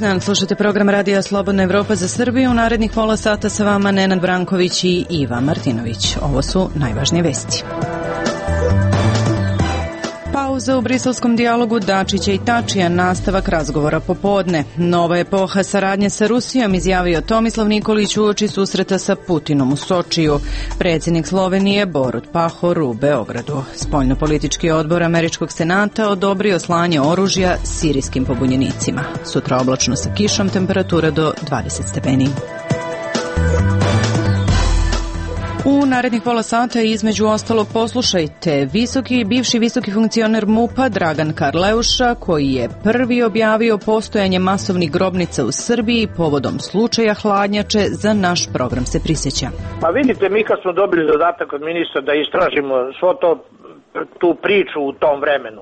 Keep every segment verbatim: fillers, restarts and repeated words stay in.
dan, slušate program Radija Slobodna Evropa za Srbiju. U narednih pola sata sa vama Nenad Branković i Iva Martinović. Ovo su najvažnije vesti. Pauza u briselskom dijalogu Dačića i Tačija, nastavak razgovora popodne. Nova epoha saradnje sa Rusijom, izjavio Tomislav Nikolić uoči susreta sa Putinom u Sočiju. Predsjednik Slovenije Borut Pahor u Beogradu. Spoljnopolitički odbor Američkog senata odobrio slanje oružja sirijskim pobunjenicima. Sutra oblačno sa kišom, temperatura do dvadeset stepeni. U narednih pola sata između ostalog poslušajte visoki, bivši visoki funkcioner MUP-a Dragan Karleuša, koji je prvi objavio postojanje masovnih grobnica u Srbiji povodom slučaja hladnjače. Za naš program se prisjeća. Pa vidite, mi kad smo dobili zadatak od ministra da istražimo svo to, tu priču u tom vremenu,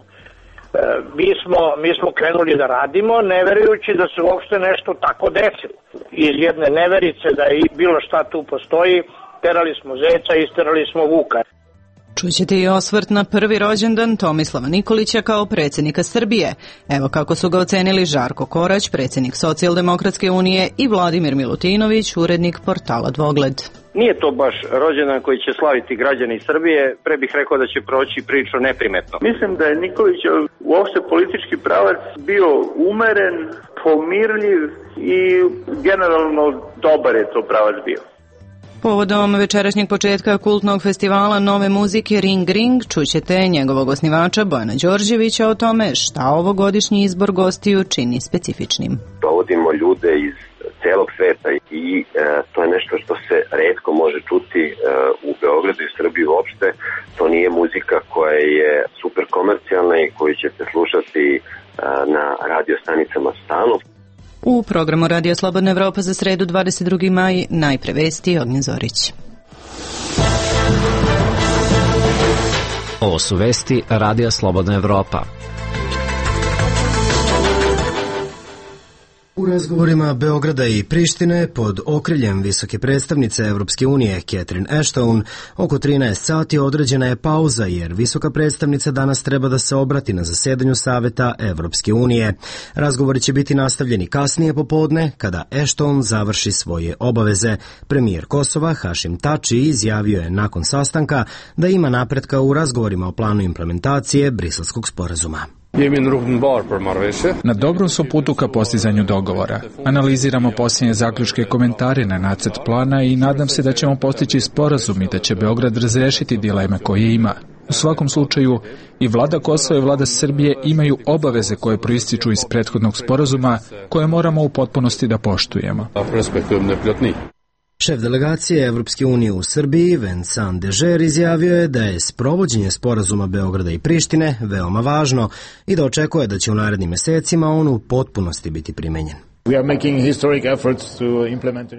mi smo, mi smo krenuli da radimo, ne verujući da se uopšte nešto tako desilo. Iz jedne neverice da je bilo šta tu postoji, terali smo zeca, isterali smo vuka. Čućete i osvrt na prvi rođendan Tomislava Nikolića kao predsjednika Srbije. Evo kako su ga ocenili Žarko Korać, predsjednik Socijaldemokratske unije, i Vladimir Milutinović, urednik portala Dvogled. Nije to baš rođendan koji će slaviti građani Srbije, pre bih rekao da će proći priču neprimetno. Mislim da je Nikolić uopšte politički pravac bio umeren, pomirljiv i generalno dobar je to pravac bio. Povodom večerašnjeg početka kultnog festivala nove muzike Ring Ring čućete njegovog osnivača Bojana Đorđevića o tome šta ovogodišnji izbor gostiju čini specifičnim. Dovodimo ljude iz celog sveta i e, to je nešto što se retko može čuti e, u Beogradu i Srbiji uopšte. To nije muzika koja je super komercijalna i koju ćete slušati e, na radio stanicama stalno. U programu Radija Slobodna Evropa za sredu dvadeset drugi maj najpre vesti. Ognjen Zorić. Ovo su vesti Radija Slobodna Evropa. U razgovorima Beograda i Prištine pod okriljem visoke predstavnice Evropske unije Catherine Ashton oko trinaest sati određena je pauza jer visoka predstavnica danas treba da se obrati na zasedanju Saveta Evropske unije. Razgovori će biti nastavljeni kasnije popodne kada Ashton završi svoje obaveze. Premijer Kosova Hašim Tači izjavio je nakon sastanka da ima napretka u razgovorima o planu implementacije Briselskog sporazuma. Na dobrom su putu ka postizanju dogovora. Analiziramo posljednje zaključke i komentare na nacrt plana i nadam se da ćemo postići sporazum i da će Beograd razrešiti dileme koje ima. U svakom slučaju, i vlada Kosova i vlada Srbije imaju obaveze koje proističu iz prethodnog sporazuma koje moramo u potpunosti da poštujemo. Šef delegacije Evropske unije u Srbiji, Vincent Dežer, izjavio je da je sprovođenje sporazuma Beograda i Prištine veoma važno i da očekuje da će u narednim mesecima on u potpunosti biti primenjen.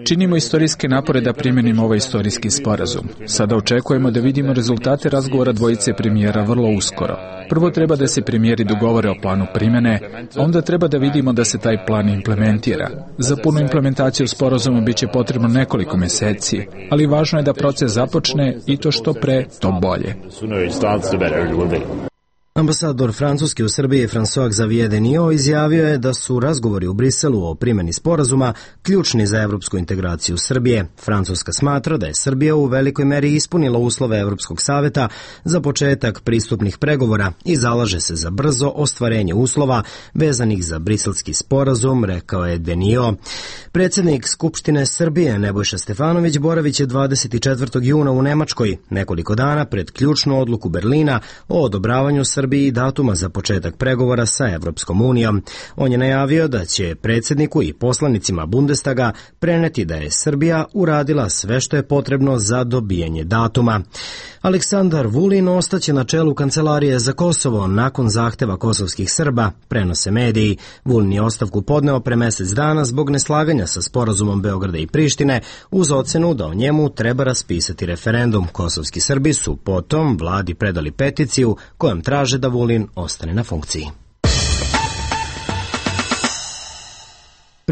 Činimo istorijske napore da primjenimo ovaj istorijski sporazum. Sada očekujemo da vidimo rezultate razgovora dvojice premijera vrlo uskoro. Prvo treba da se premijeri dogovore o planu primjene, onda treba da vidimo da se taj plan implementira. Za punu implementaciju sporazuma biće potrebno nekoliko meseci, ali važno je da proces započne i to što pre, to bolje. Ambasador Francuske u Srbiji François Xavier Denio izjavio je da su razgovori u Briselu o primjeni sporazuma ključni za evropsku integraciju Srbije. Francuska smatra da je Srbija u velikoj meri ispunila uslove Evropskog saveta za početak pristupnih pregovora i zalaže se za brzo ostvarenje uslova vezanih za briselski sporazum, rekao je Denio. Predsjednik Skupštine Srbije Nebojša Stefanović boravit će dvadeset četvrtog juna u Nemačkoj, nekoliko dana pred ključnu odluku Berlina o odobravanju Srbije Srbiji datuma za početak pregovora sa Evropskom unijom. On je najavio da će predsjedniku i poslanicima Bundestaga preneti da je Srbija uradila sve što je potrebno za dobijanje datuma. Aleksandar Vulin ostaće na čelu Kancelarije za Kosovo nakon zahteva kosovskih Srba, prenose mediji. Vulin je ostavku podneo pre mesec dana zbog neslaganja sa sporazumom Beograda i Prištine uz ocenu da o njemu treba raspisati referendum. Kosovski Srbi su potom vladi predali peticiju kojom traže da Vulin ostane na funkciji.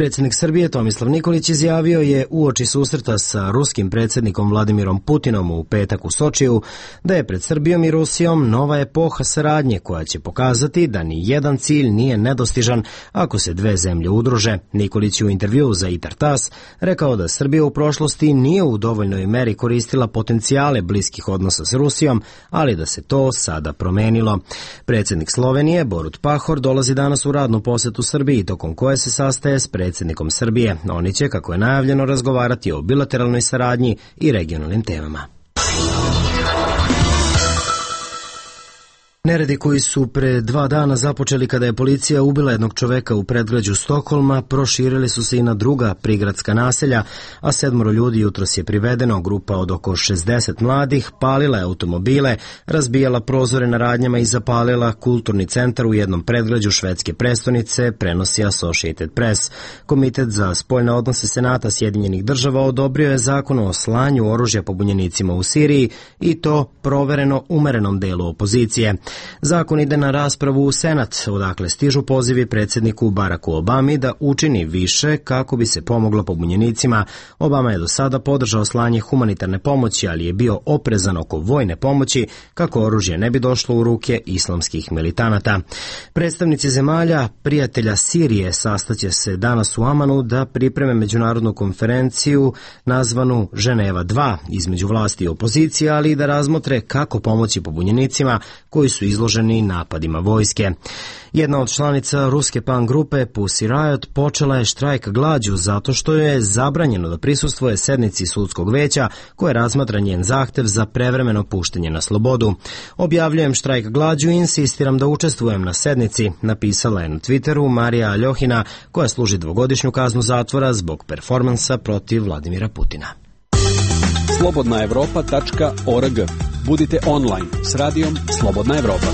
Predsjednik Srbije Tomislav Nikolić izjavio je uoči susreta sa ruskim predsjednikom Vladimirom Putinom u petak u Sočiju da je pred Srbijom i Rusijom nova epoha saradnje koja će pokazati da ni jedan cilj nije nedostižan ako se dve zemlje udruže. Nikolić je u intervjuu za Itartas rekao da Srbija u prošlosti nije u dovoljnoj meri koristila potencijale bliskih odnosa s Rusijom, ali da se to sada promenilo. Predsjednik Slovenije Borut Pahor dolazi danas u radnu posetu Srbiji, tokom koje se sastaje s predsjednikom Srbije. Oni će, kako je najavljeno, razgovarati o bilateralnoj saradnji i regionalnim temama. Neredi koji su pre dva dana započeli kada je policija ubila jednog čoveka u predgrađu Stokholma proširili su se i na druga prigradska naselja, a sedmoro ljudi jutros je privedeno. Grupa od oko šezdeset mladih palila je automobile, razbijala prozore na radnjama i zapalila kulturni centar u jednom predgrađu švedske prestonice, prenosi Associated Press. Komitet za spoljne odnose Senata Sjedinjenih država odobrio je zakon o slanju oružja pobunjenicima u Siriji i to provereno umerenom delu opozicije. Zakon ide na raspravu u Senat, odakle stižu pozivi predsjedniku Baracku Obami da učini više kako bi se pomoglo pobunjenicima. Obama je do sada podržao slanje humanitarne pomoći, ali je bio oprezan oko vojne pomoći kako oružje ne bi došlo u ruke islamskih militanata. Predstavnici zemalja prijatelja Sirije sastaće se danas u Amanu da pripreme međunarodnu konferenciju nazvanu Ženeva dva između vlasti i opozicije, ali i da razmotre kako pomoći pobunjenicima koji su izloženi napadima vojske. Jedna od članica ruske punk grupe Pussy Riot počela je štrajk glađu zato što je zabranjeno da prisustvuje sednici sudskog veća koje razmatra njen zahtev za prevremeno puštanje na slobodu. Objavljujem štrajk glađu i insistiram da učestvujem na sednici, napisala je na Twitteru Marija Aljohina, koja služi dvogodišnju kaznu zatvora zbog performansa protiv Vladimira Putina. slobodna evropa tačka org. Budite online s radijom Slobodna Evropa.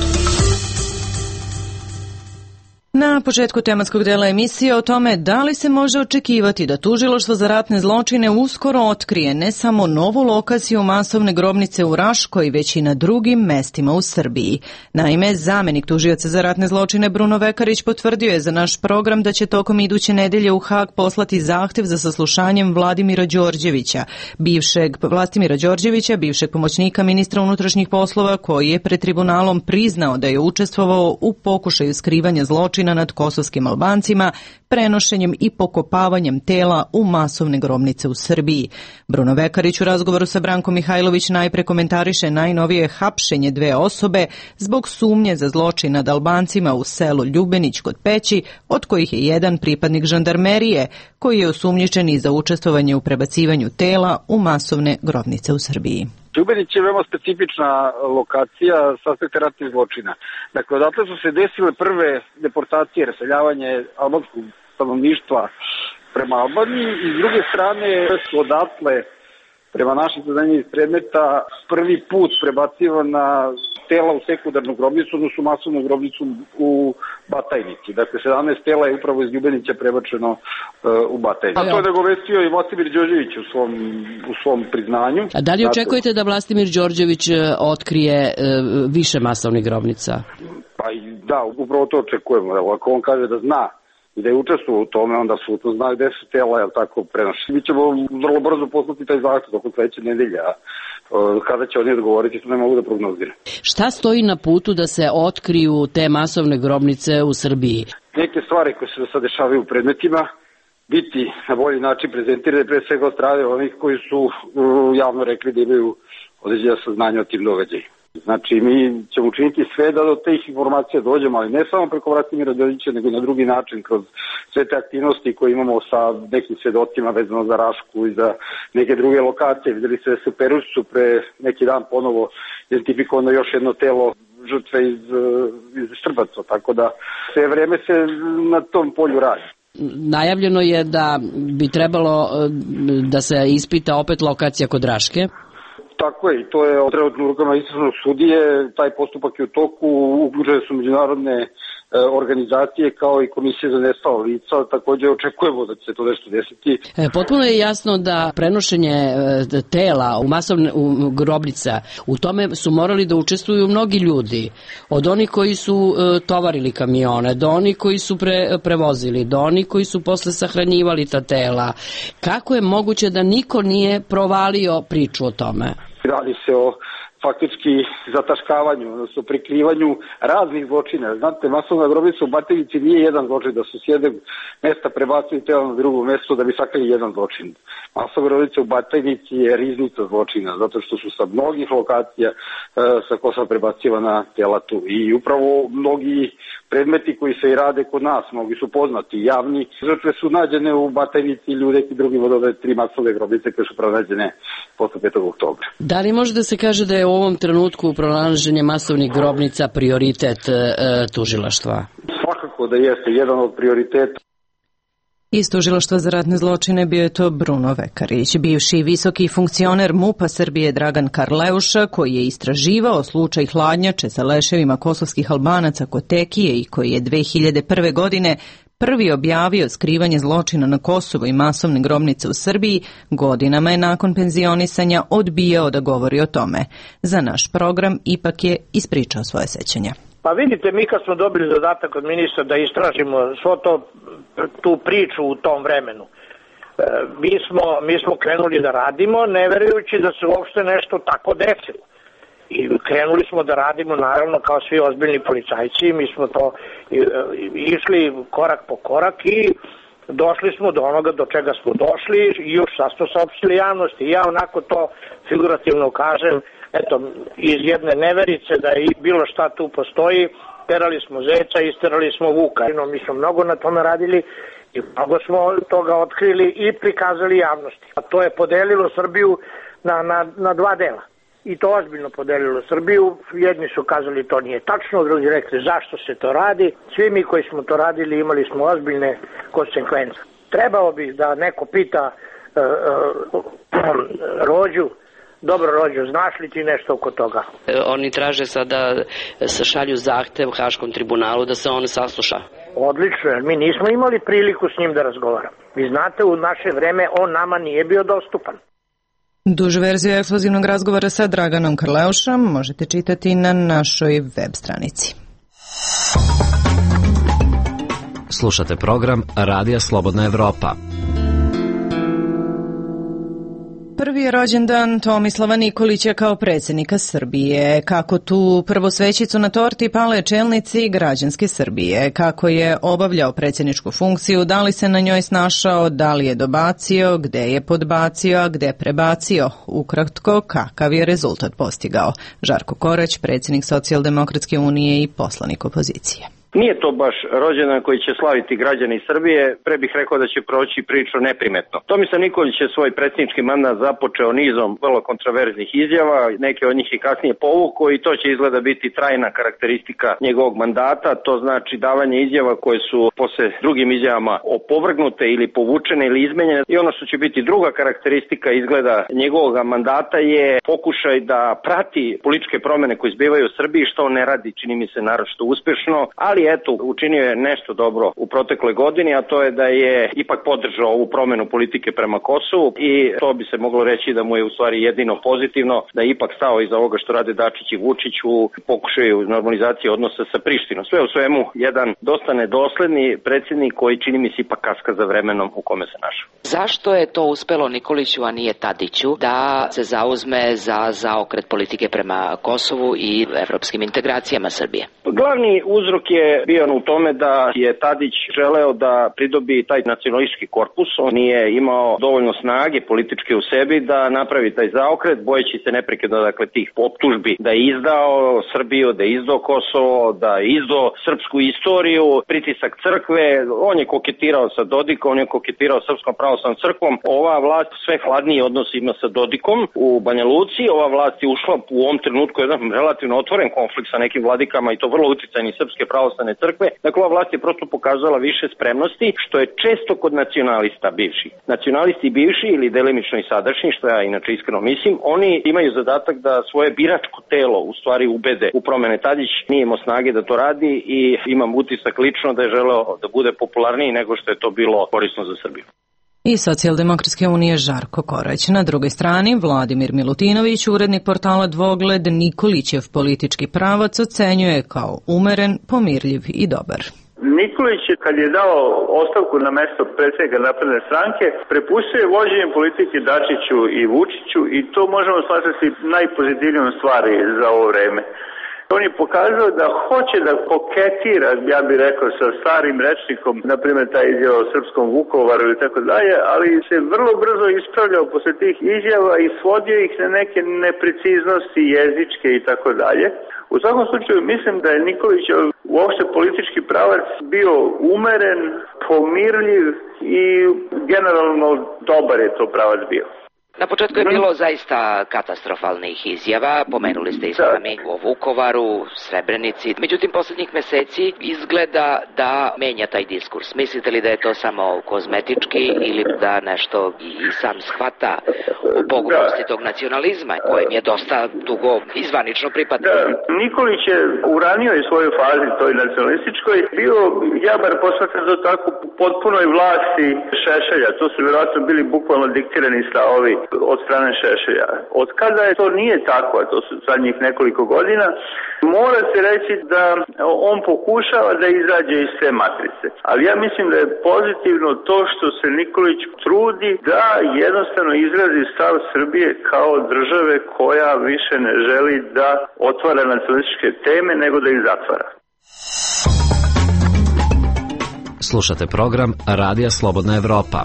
Na početku tematskog dela emisije o tome da li se može očekivati da Tužilaštvo za ratne zločine uskoro otkrije ne samo novu lokaciju masovne grobnice u Raškoj, već i na drugim mestima u Srbiji. Naime, zamenik tužioca za ratne zločine Bruno Vekarić potvrdio je za naš program da će tokom iduće nedelje u Hag poslati zahtev za saslušanjem Vladimira Đorđevića, bivšeg Vlastimira Đorđevića, bivšeg pomoćnika ministra unutrašnjih poslova, koji je pred tribunalom priznao da je učestvovao u pokušaju skrivanja zločina nad kosovskim Albancima, prenošenjem i pokopavanjem tela u masovne grobnice u Srbiji. Bruno Vekarić u razgovoru sa Brankom Mihajlović najpre komentariše najnovije hapšenje dve osobe zbog sumnje za zločin nad Albancima u selu Ljubenić kod Peći, od kojih je jedan pripadnik žandarmerije, koji je osumnjičen i za učestvovanje u prebacivanju tela u masovne grobnice u Srbiji. Ljubenić je veoma specifična lokacija sa aspekta ratnih zločina. Dakle, odatle su se desile prve deportacije, raseljavanje albanskog stanovništva prema Albaniji i s druge strane su odatle prema našim saznanjima iz predmeta prvi put prebacivana tela u sekundarnu grobnicu, odnosno masovnu grobnicu u Batajnici. Dakle, sedamnaest tela je upravo iz Ljubenića prebačeno uh, u Batajnicu. A to je nagovestio i Vlastimir Đorđević u svom, u svom priznanju. A da li očekujete da Vlastimir Đorđević otkrije uh, više masovnih grobnica? Pa da, upravo to očekujemo. Ako on kaže da zna i da je učestvovao u tome, onda su to zna gde su tela, jel tako, prenošli. Mi ćemo vrlo brzo poslati taj zahtev tokom sledeće nedelje, a kada će oni odgovoriti, to ne mogu da prognoziram. Šta stoji na putu da se otkriju te masovne grobnice u Srbiji? Neke stvari koje se do sada dešavaju u predmetima biti na bolji način prezentirane, pre svega od strane onih koji su javno rekli da imaju određena saznanja o tim događajima. Znači, mi ćemo učiniti sve da do tih informacija dođemo, ali ne samo preko Vlastimira Đorđevića, nego i na drugi način, kroz sve te aktivnosti koje imamo sa nekim svedocima vezano za Rašku i za neke druge lokacije. Videli se da se u Perušcu pre neki dan ponovo identifikovano još jedno telo žrtve iz, iz Štrbaca, tako da sve vreme se na tom polju radi. Najavljeno je da bi trebalo da se ispita opet lokacija kod Raške. Tako je, i to je trenutno u rukama istražnog sudije, taj postupak je u toku, uključene su međunarodne organizacije kao i Komisije za nestala lica, takođe očekujemo da će se to nešto desiti. Potpuno je jasno da prenošenje tela u masovne u grobnica, u tome su morali da učestvuju mnogi ljudi, od onih koji su tovarili kamione, do onih koji su pre, prevozili, do onih koji su posle sahranjivali ta tela. Kako je moguće da niko nije provalio priču o tome? Radi se o faktički zataškavanju, odnosno prikrivanju raznih zločina. Znate, masovna grobnica u Batajnici nije jedan zločin, da su s jednog mesta prebacili telo na drugo mesto da bi sakrili jedan zločin. Masovna grobnica u Batajnici je riznica zločina, zato što su sa mnogih lokacija e, sa Kosova prebacivana tela tu. I upravo mnogi predmeti koji se i rade kod nas, mnogi su poznati, javni. Žrtve su nađene u Batajnici ili u nekim drugim od ove tri masovne grobnice koje su pronađene posle petog oktobra. Da li može da se kaže da je u ovom trenutku pronalaženje masovnih grobnica prioritet e, tužilaštva? Svakako da jeste jedan od prioriteta. Iz tužilaštva za ratne zločine bio je to Bruno Vekarić, bivši visoki funkcioner MUP-a Srbije Dragan Karleuša, koji je istraživao slučaj hladnjače sa leševima kosovskih Albanaca kod Tekije i koji je dve hiljade prve. godine prvi objavio skrivanje zločina na Kosovu i masovne grobnice u Srbiji, godinama je nakon penzionisanja odbijao da govori o tome. Za naš program ipak je ispričao svoje sećanja. Pa vidite, mi kad smo dobili zadatak od ministra da istražimo svo to, tu priču u tom vremenu, mi smo, mi smo krenuli da radimo, ne verujući da se uopšte nešto tako desilo. I krenuli smo da radimo, naravno, kao svi ozbiljni policajci, mi smo to išli korak po korak i došli smo do onoga do čega smo došli i još sad smo saopštili javnosti. Ja onako to figurativno kažem, eto, iz jedne neverice da je bilo šta tu postoji, terali smo zeca, isterali smo vuka. Mi smo mnogo na tome radili i mnogo smo toga otkrili i prikazali javnosti. A to je podelilo Srbiju na, na, na dva dela. I to ozbiljno podelilo Srbiju. Jedni su kazali to nije tačno, drugi rekli zašto se to radi. Svi mi koji smo to radili imali smo ozbiljne konsekvence. Trebalo bi da neko pita uh, uh, Rođu, dobro Rođo, znaš li ti nešto oko toga? Oni traže sada se šalju zahtev Haškom tribunalu da se on sasluša. Odlično, jer mi nismo imali priliku s njim da razgovaramo. Vi znate, u naše vreme on nama nije bio dostupan. Dužu verziju ekskluzivnog razgovora sa Draganom Karleušom možete čitati na našoj web stranici. Slušate program Radija Slobodna Evropa. Prvi je rođendan Tomislava Nikolića kao predsjednika Srbije. Kako tu prvosvećicu na torti pale čelnici građanske Srbije. Kako je obavljao predsjedničku funkciju, da li se na njoj snašao, da li je dobacio, gde je podbacio, a gde prebacio. Ukratko, kakav je rezultat postigao. Žarko Korać, predsjednik Socijaldemokratske unije i poslanik opozicije. Nije to baš rođendan koji će slaviti građani Srbije, pre bih rekao da će proći priču neprimetno. Tomislav Nikolić je svoj predsjednički mandat započeo nizom vrlo kontroverznih izjava, neke od njih i kasnije povuko i to će izgleda biti trajna karakteristika njegovog mandata, to znači davanje izjava koje su posle drugim izjavama opovrgnute ili povučene ili izmenjene. I ono što će biti druga karakteristika izgleda njegovog mandata je pokušaj da prati političke promene koje izbivaju u Srbiji, što on ne radi, čini mi se naročito uspešno, ali eto, učinio je nešto dobro u protekloj godini, a to je da je ipak podržao ovu promenu politike prema Kosovu i to bi se moglo reći da mu je u stvari jedino pozitivno, da je ipak stao iza ovoga što rade Dačić i Vučić u pokušaju normalizacije odnosa sa Prištinom. Sve u svemu, jedan dosta nedosledni predsjednik koji čini mi se ipak kaska za vremenom u kome se našao. Zašto je to uspelo Nikoliću, a nije Tadiću, da se zauzme za zaokret politike prema Kosovu i evropskim integracijama Srbije? Glavni uzrok je bio u tome da je Tadić želeo da pridobi taj nacionalistički korpus. On nije imao dovoljno snage političke u sebi da napravi taj zaokret, bojeći se neprekidno dakle tih optužbi da je izdao Srbiju, da je izdao Kosovo, da je izdao srpsku istoriju, pritisak crkve. On je koketirao sa Dodikom, on je koketirao Srpskom pravoslavnom crkvom. Ova vlast sve hladniji odnos ima sa Dodikom u Banja Luci. Ova vlast je ušla u ovom trenutku jedan relativno otvoren konflikt sa nekim vladikama i to vrlo uticajni Srpske pravoslavne pravoslavne crkve. Dakle, ova vlast je prosto pokazala više spremnosti, što je često kod nacionalista bivših. Nacionalisti bivši ili delimično i sadašnji, što ja inače iskreno mislim, oni imaju zadatak da svoje biračko telo u stvari ubede u promene. Tadić nije imao snage da to radi i imam utisak lično da je želeo da bude popularniji nego što je to bilo korisno za Srbiju. I Socijaldemokratske unije Žarko Korać. Na drugoj strani, Vladimir Milutinović, urednik portala Dvogled, Nikolićev politički pravac ocenjuje kao umeren, pomirljiv i dobar. Nikolić je, kad je dao ostavku na mesto predsjednika Napredne stranke, prepustio je vođenje politike Dačiću i Vučiću i to možemo smatrati najpozitivnijom stvari za ovo vreme. On je pokazao da hoće da koketira, ja bih rekao, sa starim rečnikom, na primjer taj izjava o srpskom Vukovaru ili tako dalje, ali se vrlo brzo ispravljao posle tih izjava i svodio ih na neke nepreciznosti jezičke i tako dalje. U svakom slučaju mislim da je Nikolić uopšte politički pravac bio umeren, pomirljiv i generalno dobar je to pravac bio. Na početku je bilo zaista katastrofalnih izjava, pomenuli ste i sami o Vukovaru, Srebrenici. Međutim, poslednjih meseci izgleda da menja taj diskurs. Mislite li da je to samo kozmetički ili da nešto i sam shvata o pogubnosti tog nacionalizma kojem je dosta dugo izvanično pripadao? Da, Nikolić je u ranijoj svojoj fazi, toj nacionalističkoj, bio, ja bar posmatram to tako, potpunoj vlasti Šešelja. To su vjerojatno bili bukvalno diktirani stavovi od strane Šešelja. Od kada je to nije tako, a to su zadnjih nekoliko godina, mora se reći da on pokušava da izađe iz te matrice. Ali ja mislim da je pozitivno to što se Nikolić trudi da jednostavno izrazi stav Srbije kao države koja više ne želi da otvara nacionalističke teme, nego da ih zatvara. Slušate program Radija Slobodna Evropa.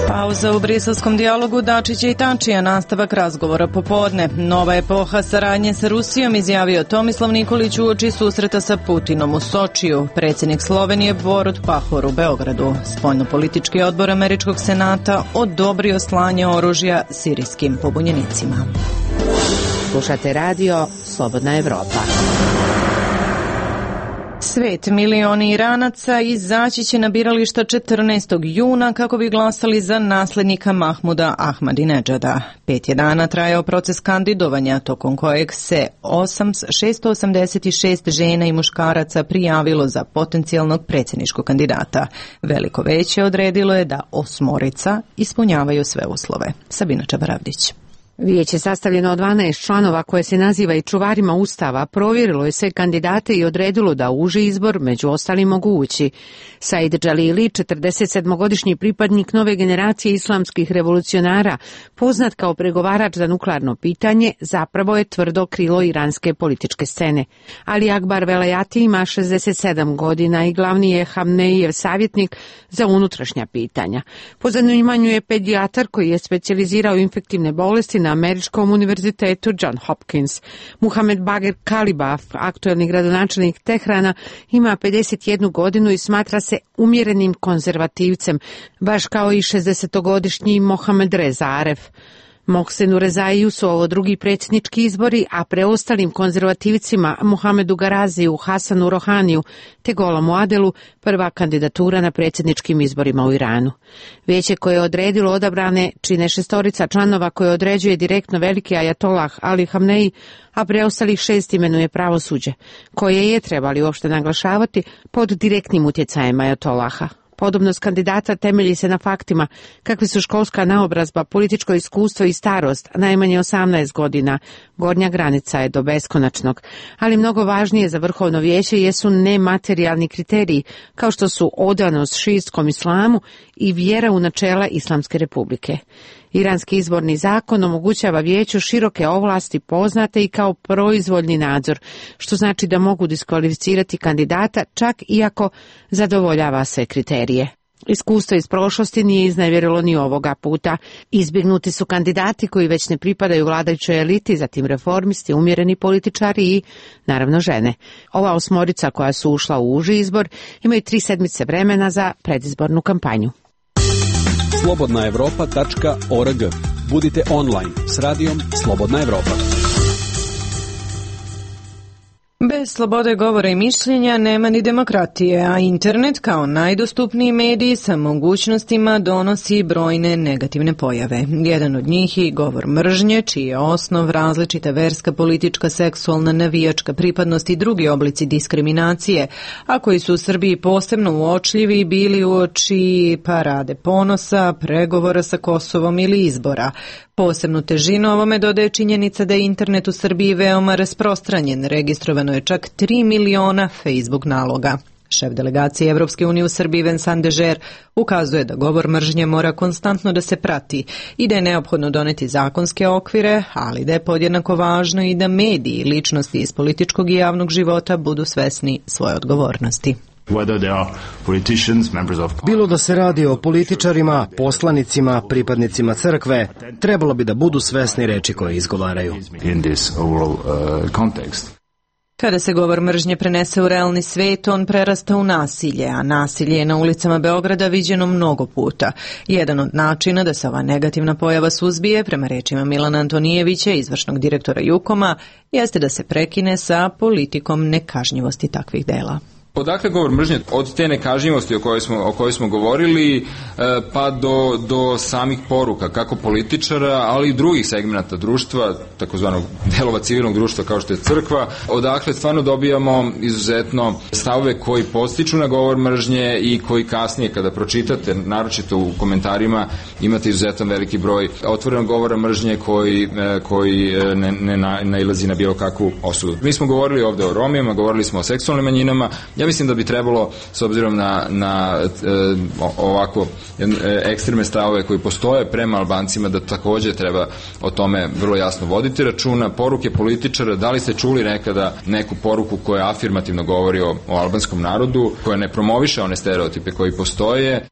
Pauza u briselskom dijalogu Dačića i Tačija, nastavak razgovora popodne. Nova epoha saradnje sa Rusijom, izjavio Tomislav Nikolić uoči susreta sa Putinom u Sočiju. Predsjednik Slovenije Borut Pahor u Beogradu. Spoljnopolitički odbor Američkog senata odobrio slanje oružja sirijskim pobunjenicima. Slušate radio Slobodna Evropa. Svet, milioni Iranaca izaći će na birališta četrnaestog juna kako bi glasali za naslednika Mahmuda Ahmadinedžada. Pet je dana trajao proces kandidovanja, tokom kojeg se šesto osamdeset šest žena i muškaraca prijavilo za potencijalnog predsjedničkog kandidata. Veliko veće odredilo je da osmorica ispunjavaju sve uslove. Sabina Čabaravdić. Vijeće sastavljeno od dvanaest članova koje se naziva i čuvarima Ustava provjerilo je sve kandidate i odredilo da uži izbor među ostalim mogu ući. Said Džalili, četrdesetsedmogodišnji pripadnik nove generacije islamskih revolucionara, poznat kao pregovarač za nuklearno pitanje, zapravo je tvrdo krilo iranske političke scene. Ali Akbar Velayati ima šezdeset sedam godina i glavni je Hamneijev savjetnik za unutrašnja pitanja. Po zanimanju je pedijatar koji je specijalizirao infektivne bolesti na Američkom univerzitetu John Hopkins. Muhamed Bagher Kalibaf, aktuelni gradonačelnik Tehrana, ima pedeset jednu godinu i smatra se umjerenim konzervativcem, baš kao i šezdesetogodišnji Mohamed Reza Aref. Mohsenu Rezaiju su ovo drugi predsjednički izbori, a preostalim konzervativcima Muhamedu Garaziju, Hasanu Rohaniju te Golamu Adelu prva kandidatura na predsjedničkim izborima u Iranu. Vijeće koje je odredilo odabrane čine šestorica članova koje određuje direktno veliki ajatolah Ali Hamneji, a preostalih šest imenuje pravosuđe, koje je, trebali uopšte naglašavati, pod direktnim utjecajem ajatolaha. Podobnost kandidata temelji se na faktima kakvi su školska naobrazba, političko iskustvo i starost, najmanje osamnaest godina, gornja granica je do beskonačnog, ali mnogo važnije za vrhovno vijeće jesu nematerijalni kriteriji, kao što su odanost šiitskom islamu i vjera u načela Islamske republike. Iranski izborni zakon omogućava vijeću široke ovlasti poznate i kao proizvoljni nadzor, što znači da mogu diskvalificirati kandidata čak i ako zadovoljava sve kriterije. Iskustvo iz prošlosti nije iznevjerilo ni ovoga puta. Izbjegnuti su kandidati koji već ne pripadaju vladajućoj eliti, zatim reformisti, umjereni političari i, naravno, žene. Ova osmorica koja su ušla u uži izbor imaju tri sedmice vremena za predizbornu kampanju. slobodna evropa tačka org. Budite online s radijom Slobodna Evropa. Bez slobode govora i mišljenja nema ni demokratije, a internet kao najdostupniji medij sa mogućnostima donosi brojne negativne pojave. Jedan od njih je govor mržnje, čiji je osnov različita verska, politička, seksualna, navijačka pripadnost i drugi oblici diskriminacije, a koji su u Srbiji posebno uočljivi bili uoči parade ponosa, pregovora sa Kosovom ili izbora. Posebnu težinu ovome dodaje činjenica da je internet u Srbiji veoma rasprostranjen. Registrovano je čak tri miliona Facebook naloga. Šef delegacije Evropske unije u Srbiji Vincent Dežer ukazuje da govor mržnje mora konstantno da se prati i da je neophodno doneti zakonske okvire, ali da je podjednako važno i da mediji i ličnosti iz političkog i javnog života budu svesni svoje odgovornosti. Bilo da se radi o političarima, poslanicima, pripadnicima crkve, trebalo bi da budu svesni reči koje izgovaraju. Kada se govor mržnje prenese u realni svet, on prerasta u nasilje, a nasilje je na ulicama Beograda viđeno mnogo puta. Jedan od načina da se ova negativna pojava suzbije, prema rečima Milana Antonijevića, izvršnog direktora Jukoma, jeste da se prekine sa politikom nekažnjivosti takvih dela. Odakle govor mržnje? Od te nekažnjivosti o kojoj smo, o kojoj smo govorili pa do, do samih poruka, kako političara, ali i drugih segmenata društva, takozvanog delova civilnog društva kao što je crkva. Odakle stvarno dobijamo izuzetno stavove koji podstiču na govor mržnje i koji kasnije kada pročitate, naročito u komentarima, imate izuzetan veliki broj otvorenog govora mržnje koji, koji ne, ne nailazi na bilo kakvu osudu. Mi smo govorili ovde o Romima, govorili smo o seksualnim manjinama. Ja mislim da bi trebalo, s obzirom na, na e, ovako e, ekstremne stavove koji postoje prema Albancima, da takođe treba o tome vrlo jasno voditi računa. Poruke političara, da li ste čuli nekada neku poruku koja afirmativno govori o, o albanskom narodu, koja ne promoviše one stereotipe koji postoje?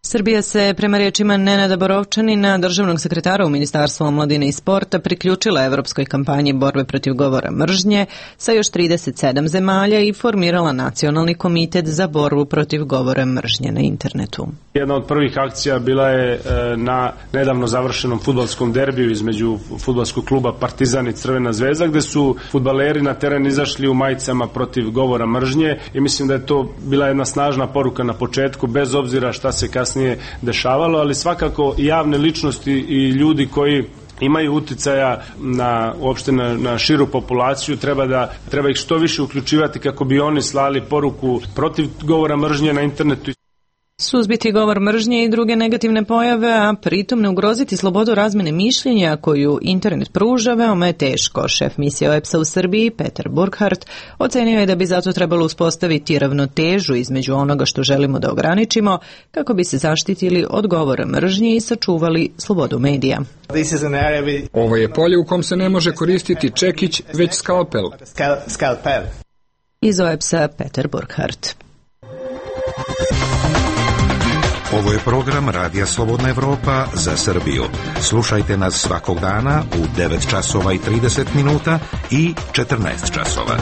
Srbija se, prema rečima Nenada Borovčanina, državnog sekretara u Ministarstvu omladine i sporta, priključila evropskoj kampanji borbe protiv govora mržnje sa još trideset sedam zemalja i formirala Nacionalni komitet za borbu protiv govora mržnje na internetu. Jedna od prvih akcija bila je na nedavno završenom fudbalskom derbiju između fudbalskog kluba Partizan i Crvena zvezda, gde su fudbaleri na teren izašli u majicama protiv govora mržnje i mislim da je to bila jedna snažna poruka na početku, bez obzira šta se kasnije nije dešavalo, ali svakako javne ličnosti i ljudi koji imaju uticaja na uopšte na, na širu populaciju, treba da treba ih što više uključivati kako bi oni slali poruku protiv govora mržnje na internetu. Suzbiti govor mržnje i druge negativne pojave, a pritom ne ugroziti slobodu razmene mišljenja koju internet pruža, veoma je teško. Šef misije O E P S-a u Srbiji, Petar Burkhardt, ocenio je da bi zato trebalo uspostaviti ravnotežu između onoga što želimo da ograničimo, kako bi se zaštitili od govora mržnje i sačuvali slobodu medija. Ovo je polje u kom se ne može koristiti čekić, već skalpel. Iz O E P S-a Petar Burkhardt. Ovo je program Radija Slobodna Evropa za Srbiju. Slušajte nas svakog dana u devet časova i trideset minuta i četrnaest časova.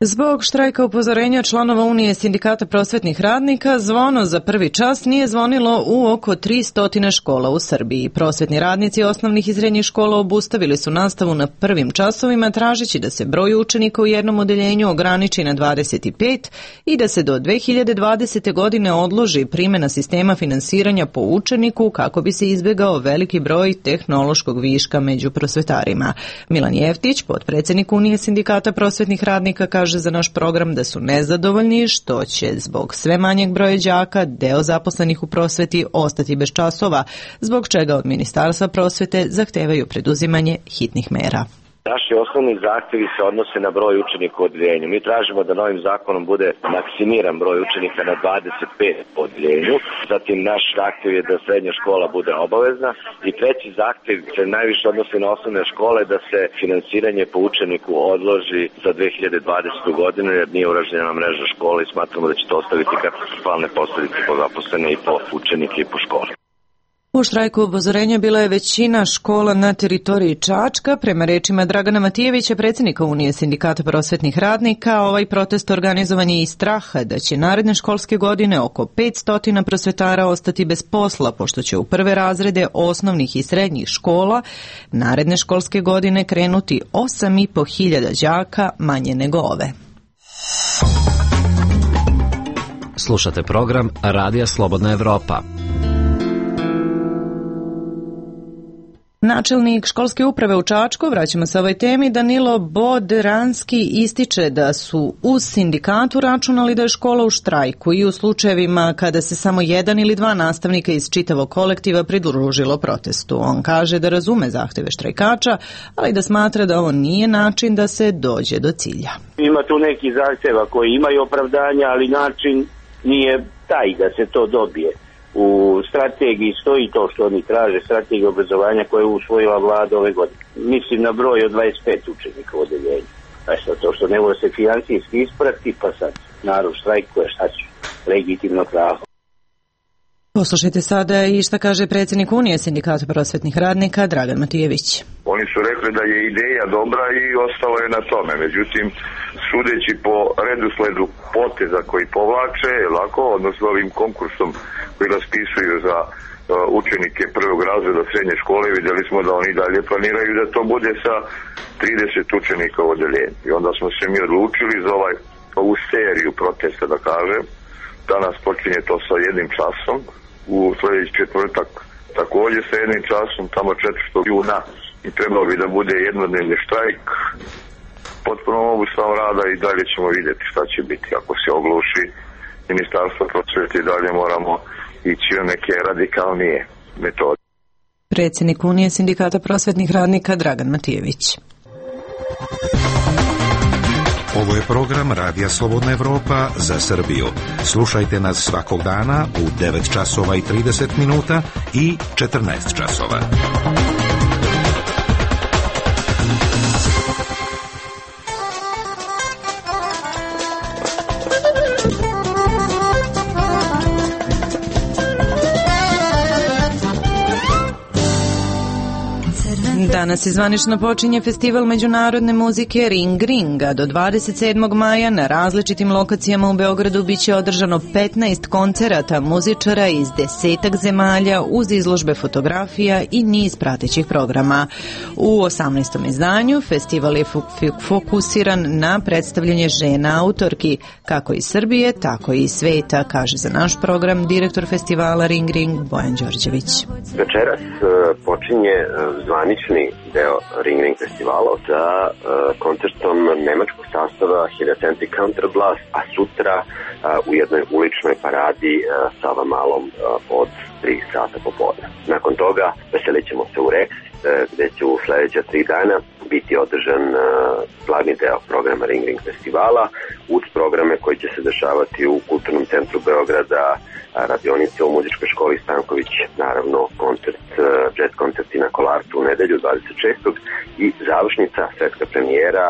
Zbog štrajka upozorenja članova Unije sindikata prosvetnih radnika, zvono za prvi čas nije zvonilo u oko tristo škola u Srbiji. Prosvetni radnici osnovnih i srednjih škola obustavili su nastavu na prvim časovima, tražeći da se broj učenika u jednom odeljenju ograniči na dvadeset pet i da se do dve hiljade dvadesete. godine odloži primjena sistema finansiranja po učeniku kako bi se izbjegao veliki broj tehnološkog viška među prosvetarima. Milan Jeftić, potpredsjednik Unije sindikata prosvetnih radnika, kaže za naš program da su nezadovoljni što će zbog sve manjeg broja đaka deo zaposlenih u prosveti ostati bez časova, zbog čega od Ministarstva prosvete zahtevaju preduzimanje hitnih mera. Naši osnovni zahtevi se odnose na broj učenika u odeljenju. Mi tražimo da novim zakonom bude maksimiran broj učenika na dvadeset pet u odeljenju. Zatim naš zahtev je da srednja škola bude obavezna. I treći zahtev se najviše odnosi na osnovne škole, da se finansiranje po učeniku odloži za dve hiljade dvadesetu. godinu, jer nije urađena mreža škola i smatramo da će to ostaviti katastrofalne posledice po zaposlene i po učenike i po škole. U štrajku upozorenja bila je većina škola na teritoriji Čačka. Prema rečima Dragana Matijevića, predsjednika Unije sindikata prosvetnih radnika, ovaj protest organizovan je iz straha da će naredne školske godine oko petsto prosvetara ostati bez posla, pošto će u prve razrede osnovnih i srednjih škola naredne školske godine krenuti osam i po hiljada đaka manje nego ove. Slušate program Radija Slobodna Evropa. Načelnik školske uprave u Čačku, vraćamo se ovoj temi, Danilo Bodranski ističe da su uz sindikatu računali da je škola u štrajku i u slučajevima kada se samo jedan ili dva nastavnika iz čitavog kolektiva pridružilo protestu. On kaže da razume zahteve štrajkača, ali da smatra da ovo nije način da se dođe do cilja. Ima tu neki zahteva koji imaju opravdanja, ali način nije taj da se to dobije. U strategiji stoji to što oni traže, strategija obrazovanja koje je usvojila vlada ove godine. Mislim na broj od dvadeset pet učenika u odeljenju. Pa što to što ne može se financijski isprati, pa sad narod štrajkuje, šta će, legitimno pravo. Poslušajte sada i šta kaže predsjednik Unije sindikata prosvetnih radnika Dragan Matijević. Oni su rekli da je ideja dobra i ostalo je na tome. Međutim, sudeći po redosledu poteza koji povlače, lako, odnosno ovim konkursom koji raspisuju za uh, učenike prvog razreda srednje škole, vidjeli smo da oni dalje planiraju da to bude sa trideset učenika u odeljenju. I onda smo se mi odlučili za ovaj, ovu seriju protesta, da kažem. Danas počinje to sa jednim časom, u sljedeći četvrtak također sa jednim časom, tamo četvrtog juna, i trebalo bi da bude jednodnevni štrajk, potpuno obustav rada i dalje ćemo vidjeti šta će biti. Ako se ogluši Ministarstvo prosvete, dalje moramo ići na neke radikalnije metode. Predsjednik Unije sindikata prosvetnih radnika Dragan Matijević. Ovo je program Radija Slobodna Evropa za Srbiju. Slušajte nas svakog dana u devet časova i trideset minuta i četrnaest časova. Danas izvanično počinje festival međunarodne muzike Ring Ring, a do dvadeset sedmog maja na različitim lokacijama u Beogradu biće održano petnaest koncerata muzičara iz desetak zemalja uz izložbe fotografija i niz pratećih programa. U osamnaestom izdanju festival je fokusiran na predstavljanje žena autorki, kako iz Srbije, tako i iz sveta, kaže za naš program direktor festivala Ring Ring Bojan Đorđević. Večeras počinje zvanični deo Ring Ring festivala sa uh, koncertom nemačkog sastava Heliocentrik Counterblast, a sutra uh, u jednoj uličnoj paradi uh, Sava Malom uh, od tri sata popodne. Nakon toga veselit ćemo se u Rex, uh, gde će u sledeća tri dana biti održan uh, glavni deo programa Ring Ring festivala uz programe koji će se dešavati u Kulturnom centru Beograda, radionice u muzičkoj školi Stanković, naravno koncert, jazz koncerti na Kolarcu u nedelju dvadeset šestog i završnica, svetska premijera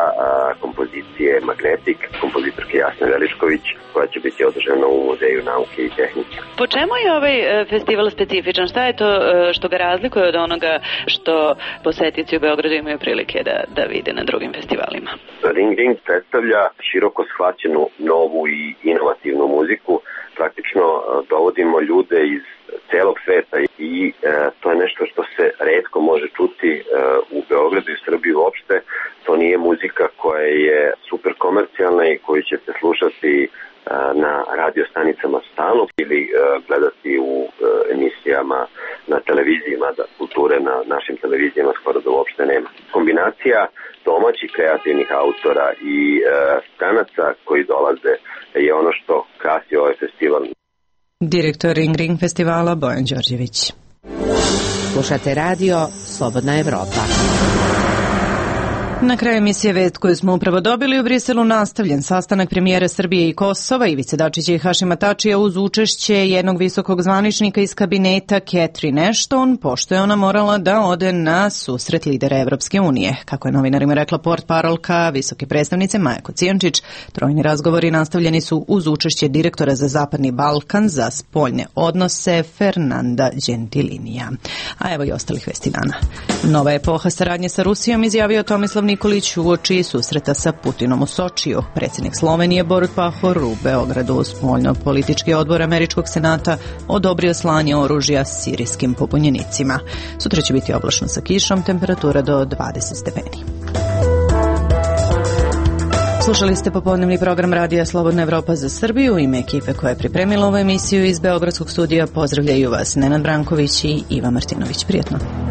kompozicije Magnetik, kompozitorke Jasne Veličković, koja će biti održana u Muzeju nauke i tehnike. Po čemu je ovaj festival specifičan? Šta je to što ga razlikuje od onoga što posetioci u Beogradu imaju prilike da, da vide na drugim festivalima? Ring Ring predstavlja široko shvaćenu novu i inovativnu muziku. Praktično dovodimo ljude iz celog sveta i e, to je nešto što se retko može čuti e, u Beogradu i Srbiji uopšte. To nije muzika koja je super komercijalna i koju ćete slušati e, na radio stanicama stalno ili e, gledati u e, emisijama na televizijama da kulture na našim televizijama skoro da uopšte nema. Kombinacija domaćih kreativnih autora i e, stranaca koji dolaze je ono što krasi ovaj festival. Direktor Ring Ring festivala Bojan Đorđević. Slušate radio Slobodna Evropa. Na kraju emisije vest koju smo upravo dobili u Briselu nastavljen sastanak premijera Srbije i Kosova Ivice Dačića i Hašima Tačija uz učešće jednog visokog zvaničnika iz kabineta Catherine Ashton, pošto je ona morala da ode na susret lidera Evropske unije. Kako je novinarima rekla portparolka visoke predstavnice Maja Kocijančić, trojni razgovori nastavljeni su uz učešće direktora za Zapadni Balkan za spoljne odnose Fernanda Gentilinija. A evo i ostalih vesti dana. Nova epoha saradnje sa Rusijom izjavio Tomislav Nikolić uoči susreta sa Putinom u Sočiju. Predsjednik Slovenije Borut Pahor u Beogradu spoljno-politički odbor Američkog senata odobrio slanje oružja sirijskim pobunjenicima. Sutra će biti oblačno sa kišom, temperatura do dvadeset stepeni. Slušali ste popodnevni program Radija Slobodna Evropa za Srbiju. U ime ekipe koja je pripremila ovu emisiju iz Beogradskog studija pozdravljaju vas Nenad Branković i Iva Martinović. Prijetno.